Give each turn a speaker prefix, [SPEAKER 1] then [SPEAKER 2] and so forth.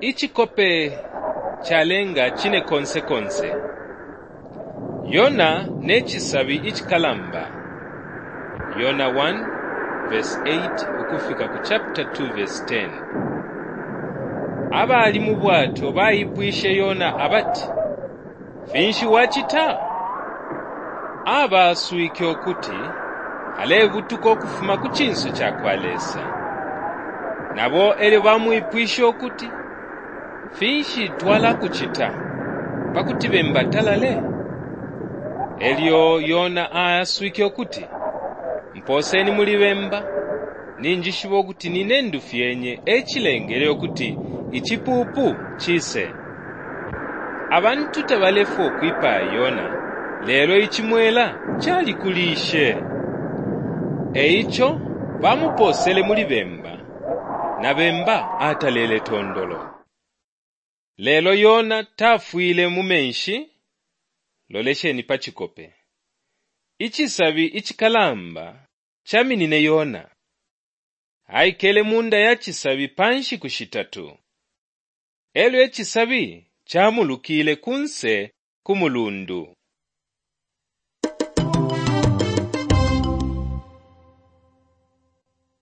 [SPEAKER 1] Icikope calenga cine konse konse. Yona ne cisabi icikalamba. Yona 1 verse 8 ukufika ku chapter 2 verse 10. Abali mu bwato baipwishe Yona abati, Finshi wacita? Abaswike ukuti alebutuka ukufuma ku cinso ca kwa Lesa. Nabo elyo bamwipwishe ukuti, Finshi twalakucita pa kuti bemba atalale? Elyo Yona ayaswike ukuti, Mpooseni muli bemba, ninjishiba ukuti nine ndufyenye e cilengele ukuti icipuupu cise. Abantu tabalefwaya ukwipaya Yona, lelo icimwela calikulishe. E ico bamupoosele muli bemba, na bemba atalele tondolo. Lelo Yona tafwile mu menshi. Lolesheni pa cikope. Icisabi icikalamba caminine Yona. Aikele munda ya cisabi pa nshiku shitatu. Elyo icisabi camulukile kunse ku mulundu.